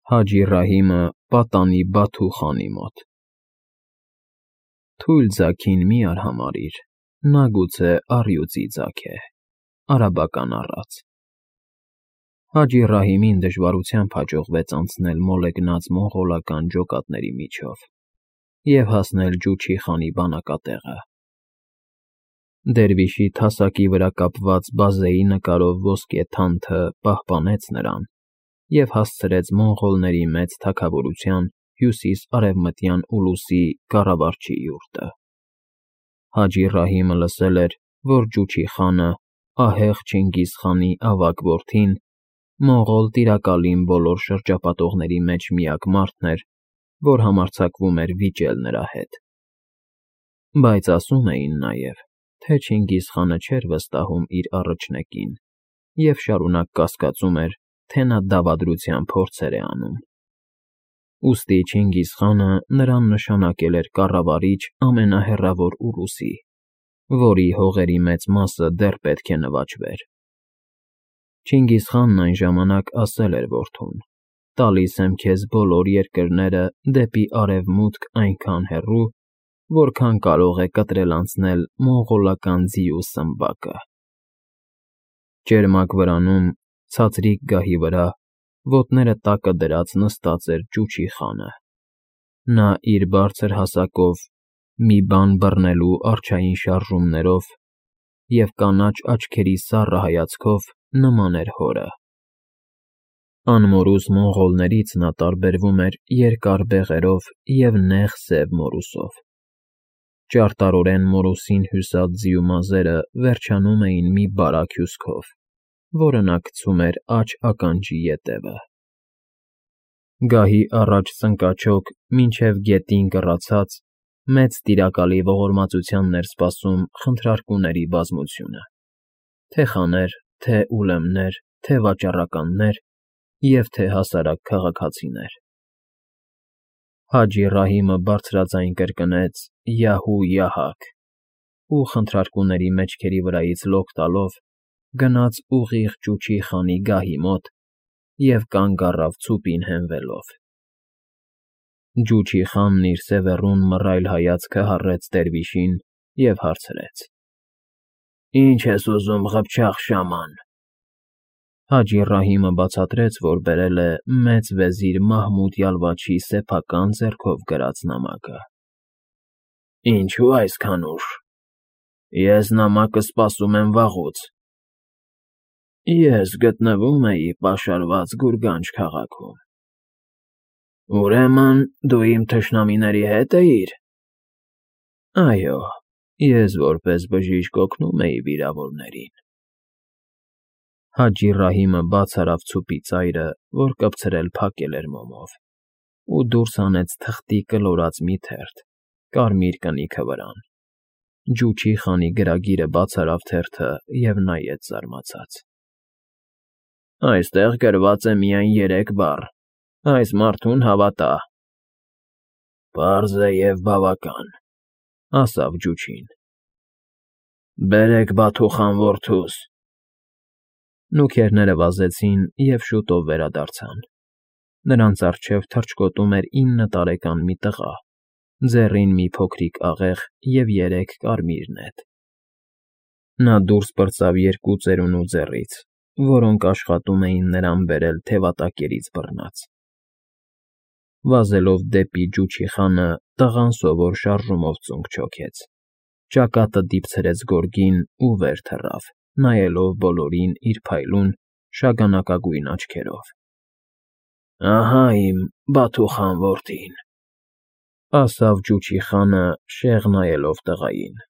Հաջի Ռահիմը պատանի Բաթու խանի մոտ։ Թույլ ձագին մի արհամարհիր, նա գուցե առյուծի ձագ է, արաբական առած։ Հաջի Ռահիմին դժվարությամբ հաջողվեց անցնել մոլեգնած մոնղոլական ջոկատների միջով և հասնել Ջուչի խանի բանակատեղը։ Դերվիշի թասակի վրա կապված բազեի նկարով ոսկե թանթը պահպանեց նրան և հասցրեց մոնղոլների մեծ թագավորության հյուսիս֊արևմտյան ուլուսի կառավարչի յուրտը։ Հաջի Ռահիմը լսել էր, որ Ջուչի խանը, ահեղ Չինգիզ խանի ավագ որդին, մոնղոլ տիրակալին բոլոր շրջապատողների մեջ միակ մարդն էր, որ համարձակվում էր վիճել նրա հետ։ Բայց ասում էին նաև, թե Չինգիզ խանը չէր վստահում իր առրջնեկին և շարունակ կասկածում էր, թե նա դավադրության փորձեր է անում։ Ուստի Չինգիզ խանը նրան նշանակել էր կառավարիչ ամենահեռավոր ուլուսի, որի հողերի մեծ մասը դեռ պետք է նվաճվեր։ Չինգիզ խանն այն ժամանակ ասել էր որդուն. «Տալիս եմ քեզ բոլոր երկրները դեպի արևմուտք այնքան հեռու, որքան կարող է կտրել անցնել մոնղոլական ձիու սմբակը»։ Ճերմակ վրանում, ցածրիկ գահի վրա, ոտները տակը դրած նստած էր Ջուչի խանը։ Նա իր բարձր հասակով, մի բան բռնելու առջային շարժումներով և կանաչ աչքերի սառը հայացքով նման էր հորը։ Անմորուս մոնղոլներից նա տարբերվում էր երկար բեղերով և նեղ սև մորուսով։ Ճարտարորեն մորուսին հյուսած ձիու մազերը վերջանում էին մի բարակ հյուսքով, որը նա գցում էր աջ ականջի ետևը։ Գահի առաջ ծնկաչոք մինչև գետին կռացած, մեծ տիրակալի ողորմածությանն էր սպասում խնդրարկուների բազմությունը՝ թե՛ խաներ, թե՛ ուրեմներ, թե՛ վաճառականներ և թե՛ հասարակ քաղաքացիներ։ Հաջի Ռահիմը բարձրաձայն կրկնեց «Յահու֊յահակ» ու խնդրարկուների մեջքերի վրայից լոկ տալով գնաց ուղիղ Ջուչի խանի գահի մոտ և կանգ առավ ցուպին հենվելով։ Ջուչի խանն իր սևեռուն մռայլ հայացքը հառեց դերվիշին և հարցրեց. «Ի՞նչ ես ուզում, ղփչաղ շաման»։ Հաջի Ռահիմը բացատրեց, որ բերել է մեծ վեզիր Մահմուդ Յալվաչի սեփական ձեռքով գրած նամակը։ «Ինչո՞ւ այսքան ուշ։ Ես նամակը սպասում եմ վաղուց»։ Ես գտնվում էի պաշարված Գուրգանջ քաղաքում։ Ուրեմն դու իմ թշնամիների հետ էիր։ Այո, ես որպես բժիշկ օգնում էի վիրավորներին։ Հաջի Ռահիմը բաց արավ ցուպի ծայրը, որ կպցրել փակել էր մոմով, ու դուրս հանեց թղթի կլորած մի թերթ, կարմիր կնիքը վրան։ Ջուչի խանի գրագիրը բաց արավ թերթը և նայեց զարմացած։ Այստեղ գրված է միայն 3 բառ. «Այս մարդուն հավատա»։ Պարզ է և բավական, ասավ Ջուչին։ Բերեք Բաթու խան որդուս։ Նուքերները վազեցին և շուտով վերադարձան։ Նրանց առջև թռչկոտում էր 9 տարեկան մի տղա, ձեռին մի փոքրիկ աղեղ և 3 կարմիր նետ։ Նա դուրս պրծավ 2 ծերունու ձեռից, որոնք աշխատում էին նրան բերել թևատակերից բռնած։ Վազելով դեպի Ջուչի խանը, տղան սովոր շարժումով ծունկ չոքեց, ճակատը դիպցրեց գորգին ու վեր թռավ, նայելով բոլորին իր փայլուն, շագանակագույն աչքերով։ Ահա իմ Բաթու խան որդին, ասավ Ջուչի խանը, շեղ նայելով տղային։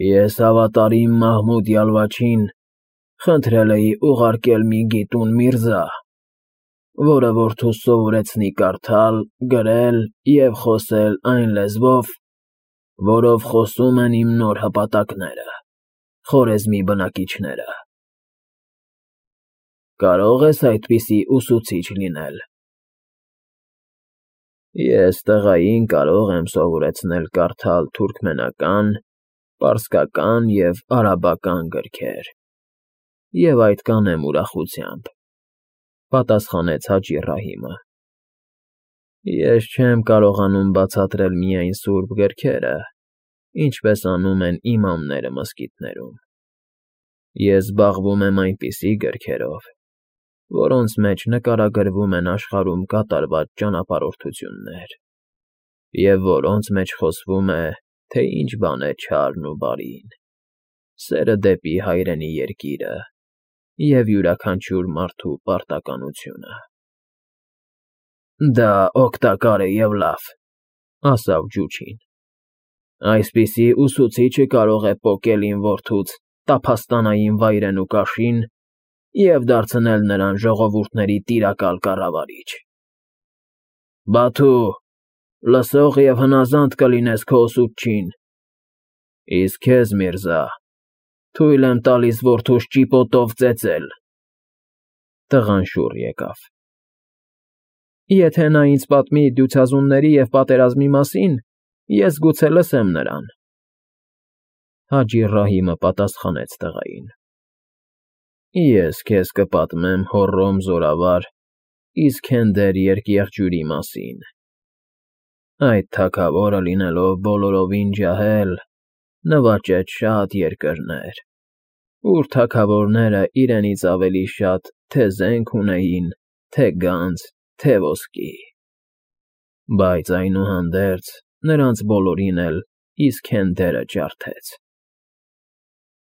Ես հավատարիմ Մահմուդ Յալվաչին խնդրել էի ուղարկել մի գիտուն միրզա, որը որդուս սովորեցնի կարդալ, գրել և խոսել այն լեզվով, որով խոսում են իմ նոր հպատակները, Խորեզմի բնակիչները։ Կարո՞ղ ես այդպիսի ուսուցիչ լինել։ Ես տղային կարող եմ սովորեցնել կարդալ թուրքմենական, պարսկական և արաբական գրքեր, և այդ կանեմ ուրախությամբ։ Պատասխանեց Հաջի Ռահիմը։ Ես չեմ կարողանում բացատրել միայն սուրբ գրքերը, ինչպես անում են իմամները մզկիթներում։ Ես զբաղվում եմ այնպիսի գրքերով, որոնց մեջ նկարագրվում են աշխարհում կատարված ճանապարհորդություններ, և որոնց մեջ խոսվում է, թե ինչ բան է չարն ու բարին, սերը դեպի հայրենի երկիրը և յուրաքանչյուր մարդու պարտականությունը։ Դա օգտակար է և լավ, ասավ Ջուչին։ Այսպիսի ուսուցիչը կարող է պոկել իմ որդուց տափաստանային վայրենու կաշին և դարձնել նրան ժողովուրդների տիրակալ կառավարիչ։ Բաթու, լսող և հնազանդ կլինես քո ուսուցչին, իսկ քեզ, Միրզա, թույլ եմ տալիս որդուս ճիպոտով ծեծել։ Տղան շուռ եկավ։ Եթե նա ինձ պատմի դյուցազունների և պատերազմի մասին, ես գուցե լսեմ նրան։ Հաջի Ռահիմը պատասխանեց տղային. Ես քեզ կպատմեմ Հոռոմ զորավար Իսքենդեր երկիղջյուրի մասին։ Այդ թագավորը լինելով բոլորովին ջահել, նվաճեց շատ երկրներ, ուր թագավորները իրենից ավելի շատ թե զենք ունեին, թե գանձ, թե ոսկի։ Բայց այնուհանդերձ նրանց բոլորին էլ Իսքենդերը ջարդեց։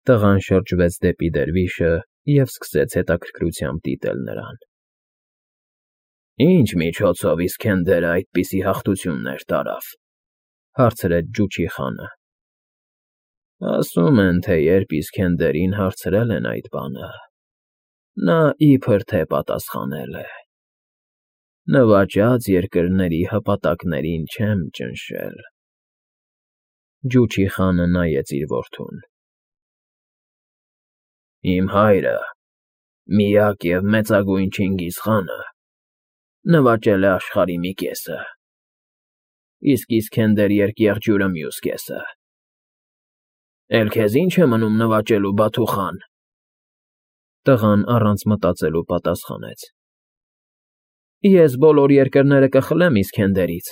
Տղան շրջվեց դեպի դերվիշը և սկսեց հետաքրքրությամբ դիտել նրան։ Ինչ միջոցով Իսքենդերը այդպիսի հաղթություններ տարավ, հարցրեց Ջուչի խանը։ Ասում են, թե երբ Իսքենդերին հարցրել են այդ բանը, նա իբր թե պատասխանել է. նվաճած երկրների հպատակներին չեմ ճնշել։ Ջուչի խանը նայեց իր որդուն։ Իմ հայրը, միակ և մեծագույն Չինգիզ խանը, նվաճել է աշխարհի մի կեսը, իսկ Իսքենդեր երկիղջյուրը մյուս կեսը։ Էլ քեզ ի՞նչ է մնում նվաճելու, Բաթու խան։ Տղան առանց մտածելու պատասխանեց. Ես բոլոր երկրները կխլեմ Իսքենդերից։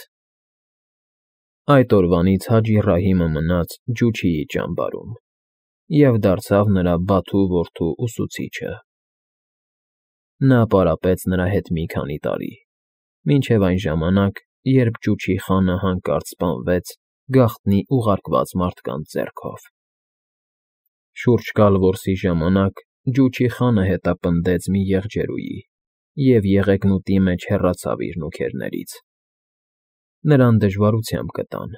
Այդ օրվանից Հաջի Ռահիմը մնաց Ջուչիի ճամբարում և դարձավ նրա բաթու որդու ուսուցիչը։ Նա պարապեց նրա հետ մի քանի տարի, մինչև այն ժամանակ, երբ Ջուչի խանը հանկարծ սպանվեց գաղտնի ուղարկված մարդկանց ձեռքով։ Շուրջկալ որսի ժամանակ Ջուչի խանը հետապնդեց մի եղջերուի և եղեգնուտի մեջ հեռացավ իր նուքերներից։ Նրան դժվարությամբ գտան։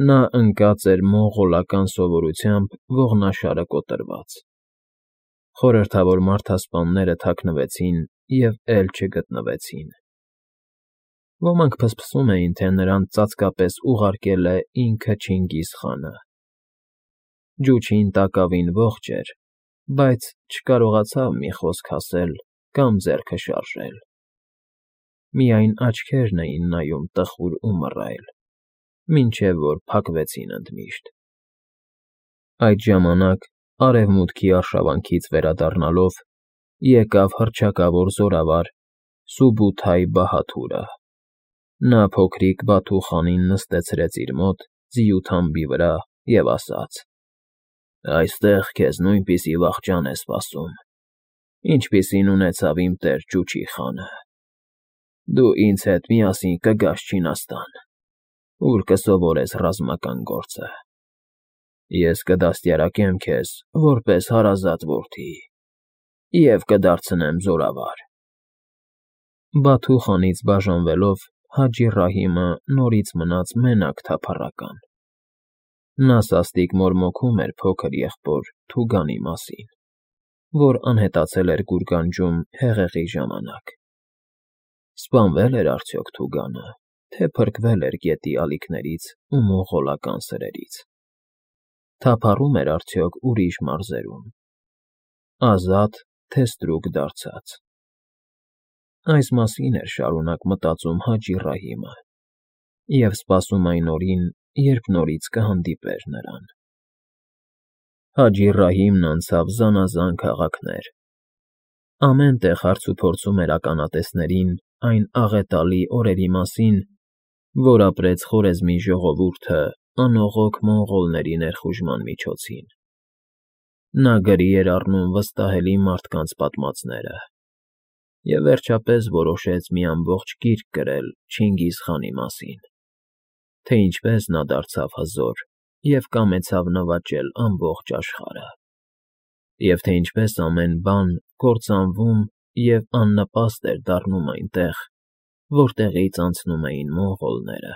Նա ընկած էր մոնղոլական սովորությամբ ողնաշարը կոտրված։ Խորհրդավոր մարդասպանները թաքնվեցին և էլ չգտնվեցին։ Ոմանք փսփսում էին, թե նրան ծածկապես ուղարկել է ինքը Չինգիզ խանը։ Ջուչին տակավին ողջ էր, բայց չկարողացավ մի խոսք ասել կամ ձեռքը շարժել։ Միայն աչքերն էին նայում տխուր ու մռայլ, մինչև որ փակվեցին ընդմիշտ։ Այդ ժամանակ, արևմուտքի արշավանքից վերադառնալով, եկավ հռչակավոր զորավար Սուբութայ Բահաթուրը։ Նա փոքրիկ Բաթու խանին նստեցրեց իր մոտ ձիու թամբի վրա և ասաց. Այստեղ քեզ նույնպիսի վախճան է սպասում, ինչպիսին ունեցավ իմ տեր Ջուչի խանը։ Դու ինձ հետ միասին կգաս Չինաստան, ուր կսովորես ռազմական գործը։ Ես կդաստիարակեմ քեզ որպես հարազատ որդի և կդարձնեմ զորավար։ Բաթու խանից բաժանվելով Հաջի Ռահիմը նորից մնաց մենակ թափառական։ Նա սաստիկ մորմոքում էր փոքր եղբոր Թուգանի մասին, որ անհետացել էր գուրգանջում հեղեղի ժամանակ։ Սպանվե՞լ էր արդյոք Թուգանը, թե փրկվել էր գետի ալիքներից ու մոնղոլական սրերից։ Թափառում էր արդյոք ուրիշ մարզերում, ազատ, թե ստրուկ դարձած։ Այս մասին էր շարունակ մտածում Հաջի Ռահիմը և սպասում այն օրին, երբ նորից կհանդիպեր նրան։ Հաջի Ռահիմն անցավ զանազան քաղաքներ, Ամեն տեղ հարցուփորձում էր ականատեսներին այն աղետալի օրերի մասին, որ ապրեց խորեզմի ժողովուրդը անողոք մոնղոլների ներխուժման միջոցին. նա գրի էր առնում վստահելի մարդկանց պատմածները և վերջապես որոշեց մի ամբողջ գիրք գրել Չինգիզ խանի մասին, թե ինչպես նա դարձավ հզոր և կամեցավ նվաճել ամբողջ աշխարհը, և թե ինչպես ամեն բան կործանվում և աննպաստ էր դառնում այնտեղ, որտեղից անցնում էին մոնղոլները։